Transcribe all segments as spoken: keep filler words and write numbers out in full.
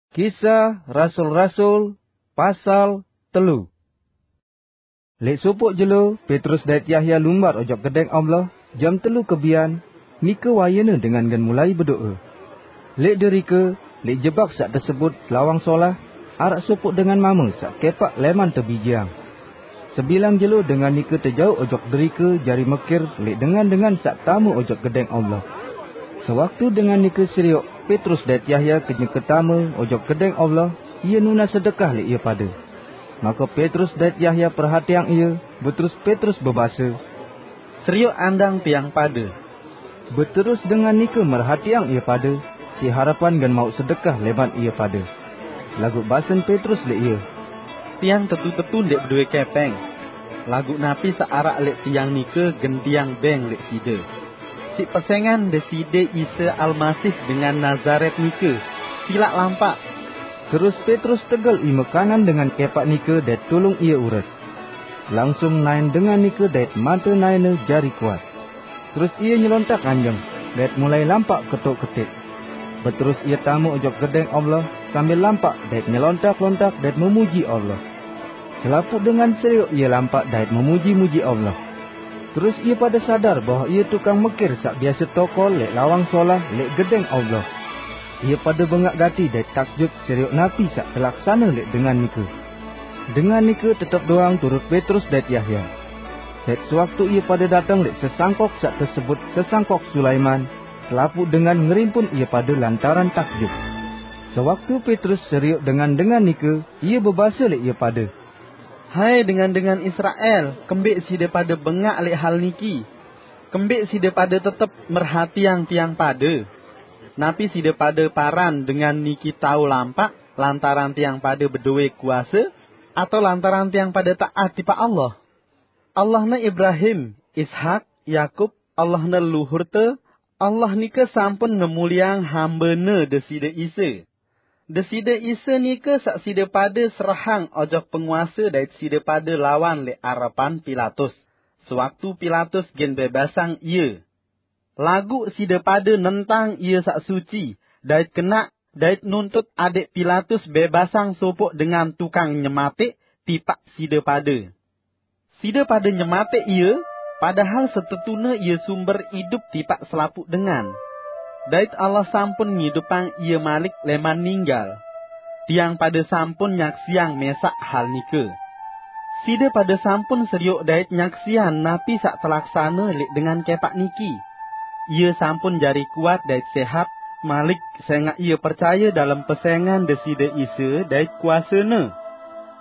Kisah Rasul-Rasul, pasal telu. Lek sopoq jelo, Petrus dait Yahya lumbar ojok gedeng Allah, jam telu kebian, nike wayene dengan gen mulai bedoe. Lek derike, lek jebak saq tesebut Lawang Solah, araq sopoq dengan mame saq kepaq leman tebijeang. Sebilang jelo dengan nike tejauq ojok derike jari mekir lek dengan-dengan saq tame ojok gedeng Allah. Sewaktu dengan nike serioq Petrus dait Yahya kenyeke tame ojok gedeng Allah, ie nunas sedekah lek ie pade. Make Petrus dait Yahya perhatiang ie, beterus Petrus bebase, "Serioq andang tiang pade." Beterus dengan nike merhatiang ie pade, siq harepan gen mauq sedekah leman ie pade. Laguq basen Petrus lek ie, "Tiang tetu-tetu ndeq bedoe kepeng. Laguq napi saq araq lek tiang nike gen tiang beng lek side. Siq pesengan Deside Isa Almasih dengan Nazaret nike, silaq lampaq." Terus Petrus tegel ime kanan dengan kepaq nike dait tulung ie ures. Langsung naen dengan nike dait mate naene jari kuat. Terus ie nyelontak nganjeng, dait mulai lampaq ketok-ketik. Beterus ie tame ojok gedeng Allah sambil lampaq dait nyelontak-lontak dait memuji Allah. Selapuq dengan serioq ie lampaq dait memuji-muji Allah. Terus ie pade sadar bahwe ie tukang mekir saq biase tokol lek Lawang Solah lek gedeng Allah. Ie pade bengaq gati dait takjub serioq napi saq telaksane lek dengan nike. Dengan nike tetep doang turut Petrus dait Yahya. Dait sewaktu ie pade dateng lek sesangkok saq tesebut Sesangkok Sulaiman, selapuq dengan ngerimpun ie pade lantaran takjub. Sewaktu Petrus serioq dengan-dengan nike, ie bebase lek ie pade, "Hai dengan-dengan Israel, kembeq side pade bengaq lek hal niki? Kembeq side pade tetep merhatiang tiang pade? Napi side pade paran dengan niki tao lampaq lantaran tiang pade bedoe kuase, atao lantaran tiang pade taat tipaq Allah? Allahne Ibrahim, Ishak, Yakub, Allahne leluhurte, Allah nike sampun ngemulieang hambene Deside Isa. Deside Isa nike saq side pade serahang ojok penguase dait side pade lawan lek arepan Pilatus, sewaktu Pilatus gen bebasang Ie. Laguq side pade nentang Ie saq suci dait kenaq, dait nuntut adeq Pilatus bebasang sopoq dengan tukang nyemateq tipaq side pade. Side pade nyemateq Ie, padahal setetune Ie sumber idup tipaq selapuq dengan. Dait Allah sampun ngidupang Ie malik leman ninggal. Tiang pade sampun nyaksiang mesaq hal nike. Side pade sampun serioq dait nyaksiang napi saq telaksane leq dengan kepaq niki. Ie sampun jari kuat dait sehat malik sengaq ie percaye dalem pesengan Deside Isa dait kuase-Ne.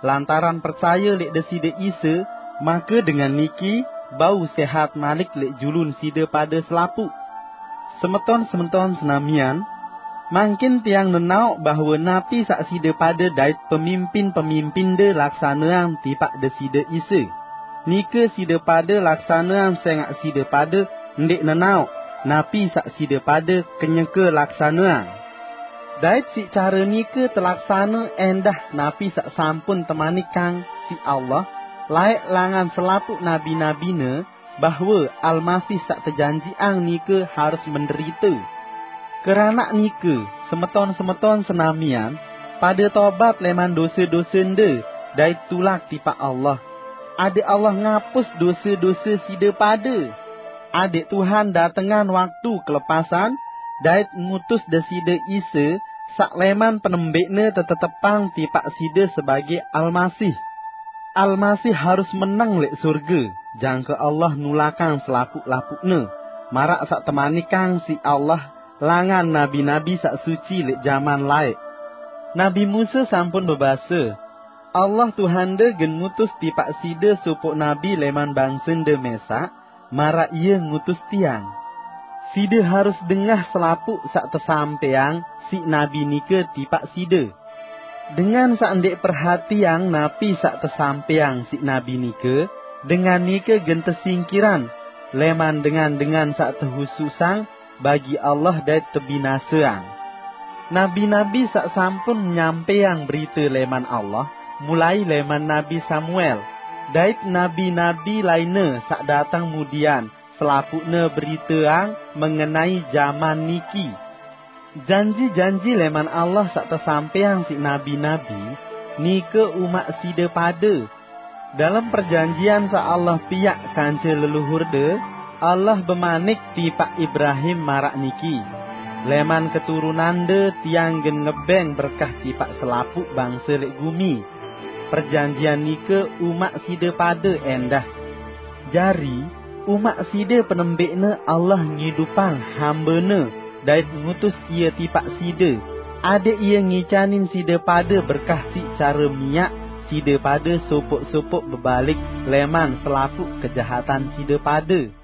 Lantaran percaye leq Deside Isa, make dengan niki bau sehat malik leq julun side pade selapuq. Semeton-semeton senamian, mangkin tiang nenaoq bahwe napi saq side pade dait pemimpin-pemimpinde laksaneang tipaq Deside Isa, nike side pade laksaneang sengaq side pade ndeq nenaoq napi saq side pade kenyeke laksaneang. Dait siq care nike telaksane endah napi saq sampun temanikang siq Allah laeq langan selapuq nabi-nabi-Ne, bahwe Almasih saq tejanjiqang nike harus menderite. Keranaq nike, semeton-semeton senamian, pade tobat leman dose-dosende dait tulak tipaq Allah, adeq Allah ngapus dose-dose side pade. Adeq Tuhan datengan waktu kelepasan dait ngutus Deside Isa saq leman penembeqne tetetepang tipaq side sebage Almasih. Almasih harus meneng leq surge, jangke Allah nulakang selapuq-lapuqne, maraq saq temanikang siq Allah langan nabi-nabi saq suci leq jaman laeq. Nabi Musa sampun bebase, "Allah Tuhande gen ngutus tipaq side sopoq nabi leman bangsende mesaq, maraq ie ngutus tiang." Side harus dengah selapuq saq tesampeang siq nabi nike tipaq side. Dengan saq ndeq perhatiang napi saq tesampeang siq nabi nike, dengan nike gen tesingkiran leman dengan-dengan saq tehususang bagi Allah dait tebinaseang. Nabi-nabi saq sampun nyampeang berite leman Allah, mulai leman Nabi Samuel, dait nabi-nabi lainne saq dateng mudian, selapuqne beriteang mengenai jaman niki. Janji-janji leman Allah saq tesampeyang siq nabi-nabi, nike umaq side pade. Dalem perjanjian saq Allah piaq kance leluhurde, Allah bemanik tipaq Ibrahim maraq niki, "Leman keturunande Tiang gen ngebeng berkah tipaq selapuq bangse leq gumi." Perjanjian nike umaq side pade endah. Jari, umaq side penembeqne Allah ngidupang hambene dait ngutus ie tipaq side, adeq ie ngicanin side pade berkah siq care miaq side pade sopoq-sopoq bebalik leman selapuq kejahatan side pade.